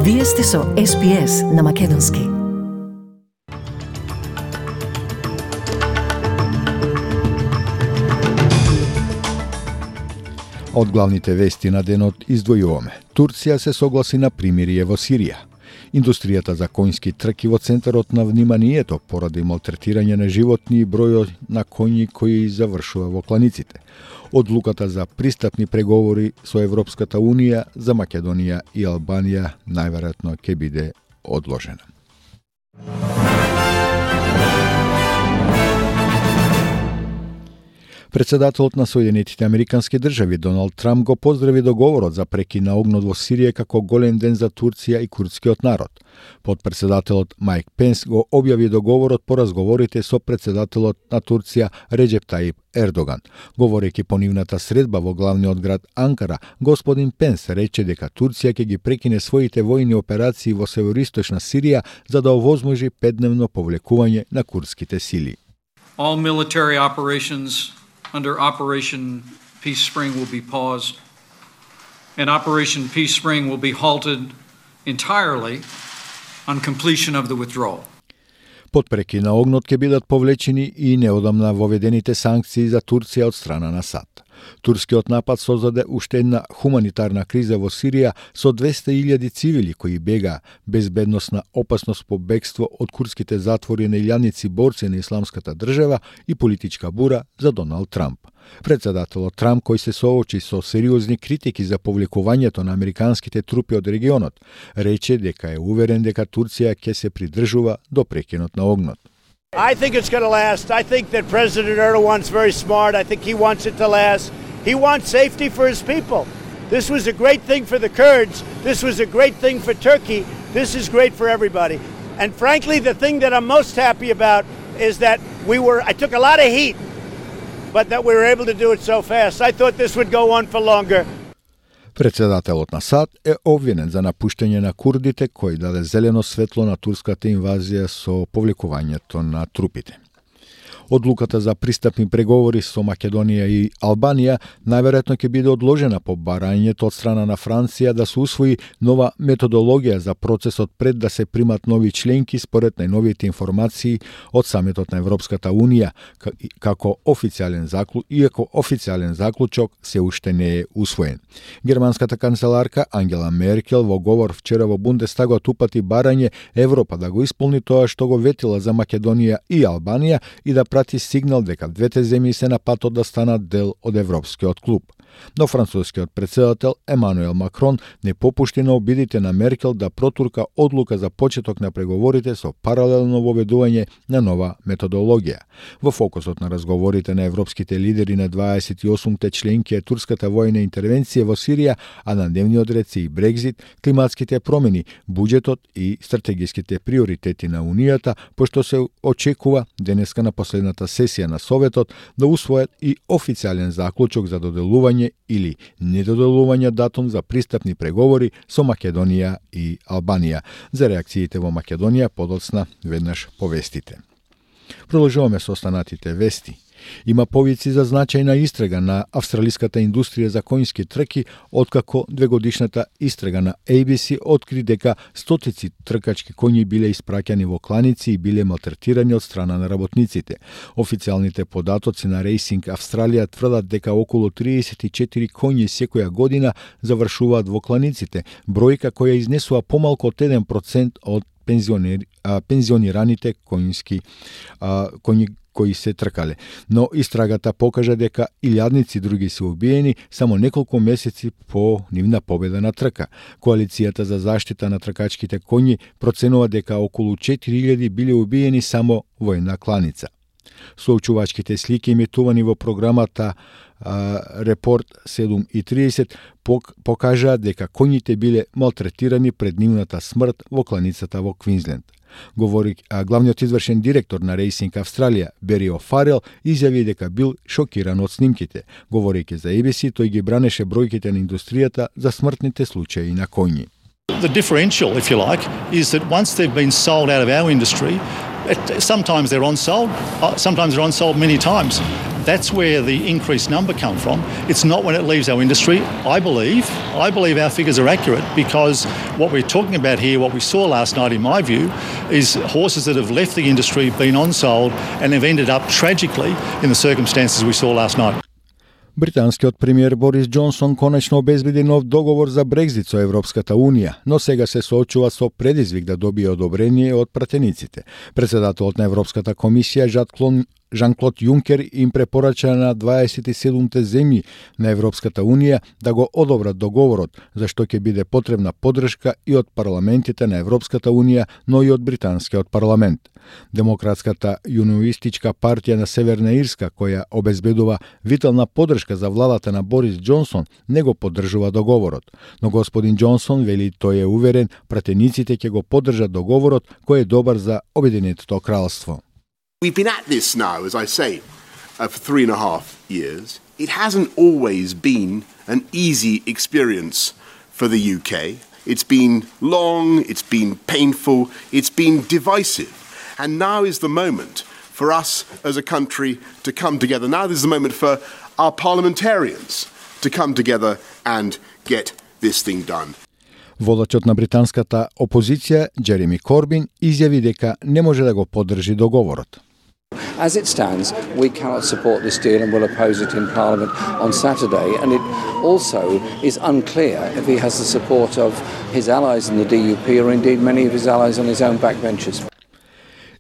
Вие сте со SPS на Македонски. Од главните вести на денот издвојуваме. Турција се согласи на примирие во Сирија. Индустријата за конјски трки во центарот на вниманието поради малтретирање на животни и бројот на коњи кои завршува во кланиците. Одлуката за пристапни преговори со Европската Унија за Македонија и Албанија најверојатно ќе биде одложена. Председателот на Соединетите Американски држави Доналд Трамп го поздрави договорот за прекин на огнот во Сирија како голем ден за Турција и курдскиот народ. Подпредседателот Майк Пенс го објави договорот по разговорите со председателот на Турција Реджеп Таип Ердоган. Говорејќи по нивната средба во главниот град Анкара, господин Пенс рече дека Турција ќе ги прекине своите војни операции во североисточна Сирија за да овозможи 5-дневно повлекување на курдските сили. All military operations under Operation Peace Spring will be paused, and Operation Peace Spring will be halted entirely on completion of the withdrawal. Под прекин на огнот ќе бидат повлечени и неодамна воведените санкции за Турција од страна на САД. Турскиот напад создаде уште една хуманитарна криза во Сирија со 200.000 цивили кои бега безбедносна опасност по бегство од курдските затвори на илјадници борци на исламската држава и политичка бура за Доналд Трамп. Председателот Трамп, кој се соочи со сериозни критики за повлекувањето на американските трупи од регионот, рече дека е уверен дека Турција ќе се придржува до прекинот на огнот. I think it's going to last. I think that President Erdogan's very smart. I think he wants it to last. He wants safety for his people. This was a great thing for the Kurds. This was a great thing for Turkey. This is great for everybody. And frankly, the thing that I'm most happy about is that I took a lot of heat, but that we were able to do it so fast. I thought this would go on for longer. Председателот на САД е обвинен за напуштање на курдите кој даде зелено светло на турската инвазија со повлекувањето на трупите. Одлуката за пристапни преговори со Македонија и Албанија најверојатно ќе биде одложена по барањето од страна на Франција да се усвои нова методологија за процесот пред да се примат нови членки според најновите информации од самитот на Европската Унија, иако официјален заклучок се уште не е усвоен. Германската канцеларка Ангела Меркел во говор вчера во Бундестагот упати барање Европа да го исполни тоа што го ветила за Македонија и Албанија и да прати сигнал дека двете земји се на патот да станат дел од Европскиот клуб. Но францускиот председател Емануел Макрон не попушти на обидите на Меркел да протурка одлука за почеток на преговорите со паралелно воведување на нова методологија. Во фокусот на разговорите на европските лидери на 28-те членки е турската војна интервенција во Сирија, а на дневниот ред се и Брекзит, климатските промени, буџетот и стратегиските приоритети на Унијата, пошто се очекува денеска на последната сесија на Советот да усвојат и официјален заклучок за доделување или недоделување датум за пристапни преговори со Македонија и Албанија. За реакциите во Македонија подоцна веднаш повестите. Продолжуваме со останатите вести. Има повици за значајна истрага на австралиската индустрија за конјски трки, откако двегодишната истрага на ABC откри дека стотици тркачки коњи биле испраќани во кланици и биле малтретирани од страна на работниците. Официјалните податоци на Racing Австралија тврдат дека околу 34 коњи секоја година завршуваат во кланиците, бројка која изнесува помалку од 1% од пензионираните коњи кои се тркале. Но истрагата покажа дека илјадници други се убиени само неколку месеци по нивна победа на трка. Коалицијата за заштита на тркачките коњи проценува дека околу 4000 биле убиени само во една кланица. Соочувачките слики емитувани во програмата Репорт 7:30 покажаа дека коњите биле малтретирани пред нивната смрт во кланицата во Квинсленд. Главниот извршен директор на Racing Австралија, Бери О'Фарел, изјави дека бил шокиран од снимките. Говорејќи за ABC, тој ги бранеше бројките на индустријата за смртните случаи на коњи. The differential, if you like, is that once they've been sold out of our industry, sometimes they're on-sold many times. that's where the increased number come from. It's not when it leaves our industry. I believe our figures are accurate because what we're talking about here, what we saw last night in my view, is horses that have left the industry, been on-sold and have ended up tragically in the circumstances we saw last night. Британскиот премиер Борис Џонсон конечно обезбеди нов договор за Брекзит со Европската Унија, но сега се соочува со предизвик да добие одобрение од пратениците. Председателот на Европската комисија Жан-Клод Јункер им препорача на 27 земји на Европската Унија да го одобрат договорот, за што ќе биде потребна поддршка и од парламентите на Европската Унија, но и од британскиот парламент. Демократската јуниоистичка партија на Северна Ирска, која обезбедува витална поддршка за владата на Борис Џонсон, не го поддржува договорот. Но господин Џонсон вели тој е уверен пратениците ќе го поддржат договорот кој е добар за Обединетото кралство. We've been at this now, as I say, for 3.5 years. It hasn't always been an easy experience for the UK. It's been long, it's been painful, it's been divisive. And now is the moment for us as a country to come together. Now is the moment for our parliamentarians to come together and get this thing done. Водачот на британската опозиција, Джереми Корбин, изјави дека не може да го поддржи договорот. As it stands, we cannot support this deal and will oppose it in Parliament on Saturday. And it also is unclear if he has the support of his allies in the DUP or indeed many of his allies on his own backbenches.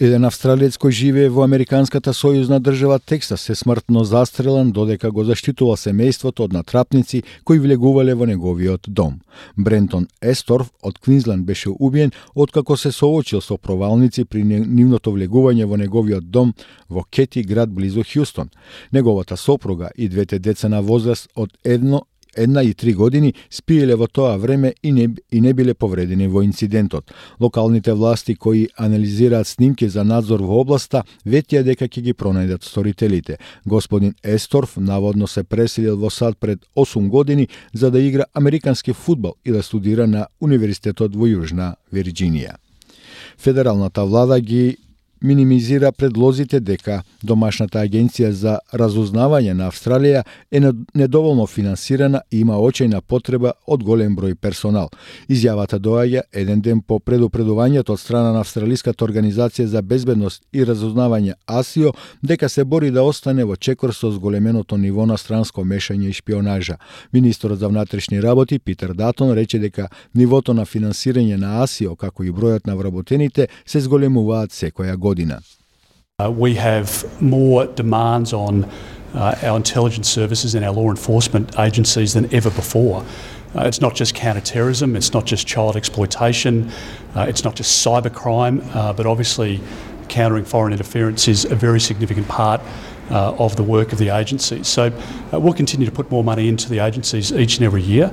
Еден австралиец кој живее во Американската сојузна држава Тексас се смртно застрелан додека го заштитувал семејството од натрапници кои влегувале во неговиот дом. Брентон Есторф од Квинсленд беше убиен откако се соочил со провалници при нивното влегување во неговиот дом во Кети, град близу Хјустон. Неговата сопруга и двете деца на возраст од 1 и 3 години спиеле во тоа време и не биле повредени во инцидентот. Локалните власти кои анализираат снимки за надзор во областа ветија дека ќе ги пронајдат сторителите. Господин Есторф наводно се преселил во САД пред 8 години за да игра американски фудбал и да студира на универзитетот во Јужна Вирџинија. Федералната влада ги минимизира предлозите дека домашната агенција за разузнавање на Австралија е недоволно финансирана и има очајна потреба од голем број персонал. Изјавата доаѓа еден ден по предупредувањето од страна на Австралиската организација за безбедност и разузнавање АСИО дека се бори да остане во чекор со зголеменото ниво на странско мешање и шпионажа. Министерот за внатрешни работи Питер Датон рече дека нивото на финансирање на АСИО како и бројот на вработените се зголемуваат секоја година. We have more demands on our intelligence services and our law enforcement agencies than ever before. It's not just counter-terrorism, it's not just child exploitation, it's not just cybercrime, but obviously countering foreign interference is a very significant part of the work of the agencies. So we'll continue to put more money into the agencies each and every year.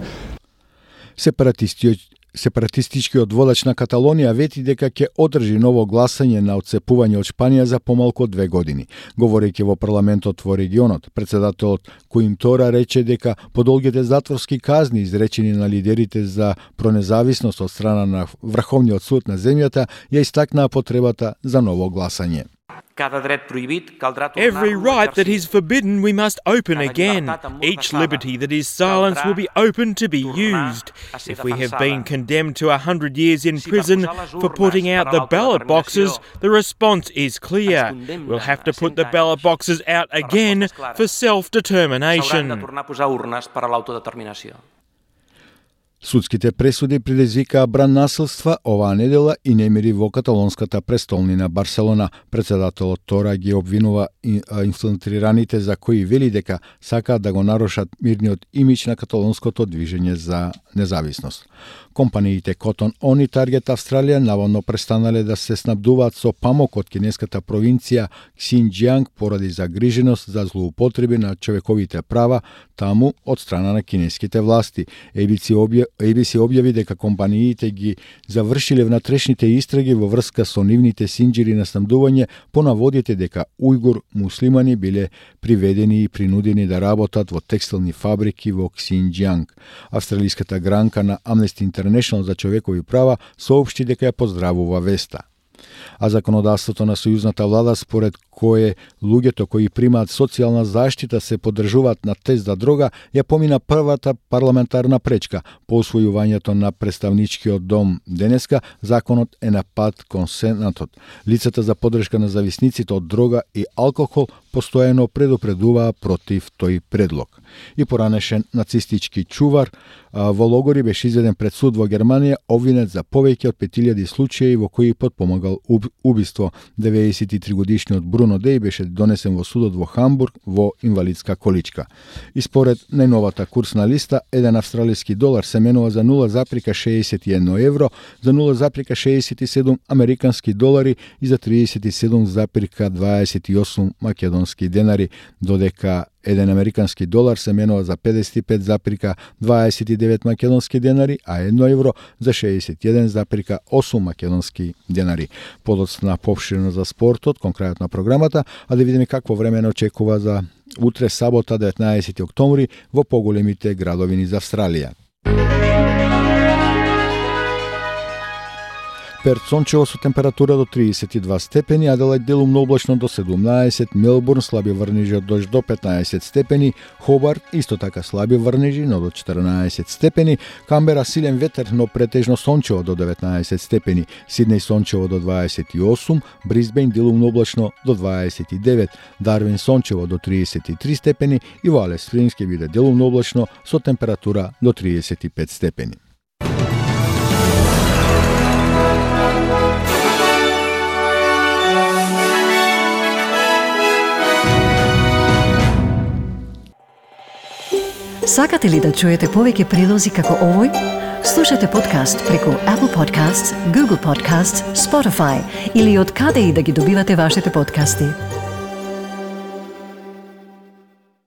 Сепаратистичкиот водач на Каталонија вети дека ќе одржи ново гласање на отцепување од Шпанија за помалку од 2 години. Говорејќи во парламентот во регионот, председателот Коимтора рече дека подолгите затворски казни изречени на лидерите за пронезависност од страна на Врховниот суд на земјата ја истакнаа потребата за ново гласање. Every right that is forbidden we must open again. Each liberty that is silenced will be open to be used. If we have been condemned to 100 years in prison for putting out the ballot boxes, the response is clear. We'll have to put the ballot boxes out again for self-determination. Судските пресуди предизвикаа бран насилства оваа недела и немири во каталонската престолнина Барселона. Председателот Тора ги обвинува инфилтрираните за кои вели дека сакаат да го нарушат мирниот имидж на каталонското движење за независност. Компаниите Cotton On и Target Австралија наводно престанале да се снабдуваат со памук од кинеската провинција Ксинџијанг поради загриженост за злоупотреби на човековите права таму од страна на кинеските власти. ABC објави дека компаниите ги завршиле внатрешните истраги во врска со нивните синџири на снабдување по наводите дека ујгур муслимани биле приведени и принудени да работат во текстилни фабрики во Ксинџијанг. Австралиската гранка на Amnesty International за човекови права соопшти дека ја поздравува веста. А законодавството на сојузната влада според кое луѓето кои примаат социјална заштита се поддржуваат на тест за дрога, ја помина првата парламентарна пречка по усвојувањето на представничкиот дом. Денеска законот е на пат кон Сенатот. Лицата за поддршка на зависниците од дрога и алкохол постојано предупредуваа против тој предлог. И поранешен нацистички чувар во логори беше изведен пред суд во Германија, обвинет за повеќе од 5000 случаи во кои потпомагал убиство. 93 годишниот Бруно Деј беше донесен во судот во Хамбург во инвалидска количка. И според најновата курсна листа, еден австралиски долар се менува за 0,61 евро, за 0,67 американски долари и за 37,28 македонски денари, додека еден американски долар се менува за 55,29 македонски денари, а 1 евро за 61,8 македонски денари. Подоцна попширено за спортот, кон крајот на програмата, а да видиме какво време не очекува за утре, сабота, 19 октомври, во поголемите градови за Австралија. Перт сончево со температура до 32 степени, Аделајд делумно облачно до 17, Мелбурн слаби врнежи од дожд до 15 степени, Хобарт исто така слаби врнежи, но до 14 степени, Камбера силен ветер, но претежно сончево до 19 степени, Сиднеј сончево до 28, Брисбејн делумно облачно до 29, Дарвин сончево до 33 степени и во Алис Спрингс ќе биде делумно облачно со температура до 35 степени. Сакате ли да чуете повеќе прилози како овој? Слушате подкаст преку Apple Podcasts, Google Podcasts, Spotify или од каде и да ги добивате вашите подкасти.